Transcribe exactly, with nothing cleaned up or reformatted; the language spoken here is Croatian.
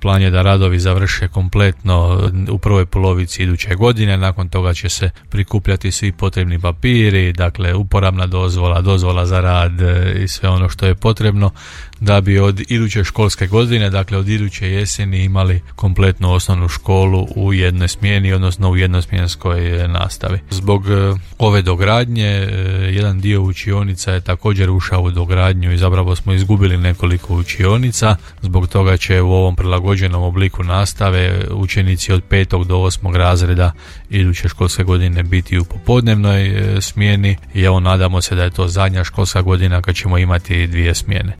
Plan je da radovi završe kompletno u prvoj polovici iduće godine, nakon toga će se prikupljati svi potrebni papiri, dakle uporabna dozvola, dozvola za rad i sve ono što je potrebno da bi od iduće školske godine, dakle od iduće jeseni imali kompletnu osnovnu školu u jednoj smjeni, odnosno u jednosmjenskoj nastavi. Zbog ove dogradnje, jedan dio učionica je također ušao u dogradnju i zapravo smo izgubili nekoliko učionica, zbog toga će u ovom prilagođenom obliku nastave učenici od petog do osmog razreda iduće školske godine biti u popodnevnoj smjeni i evo nadamo se da je to zadnja školska godina kad ćemo imati dvije smjene.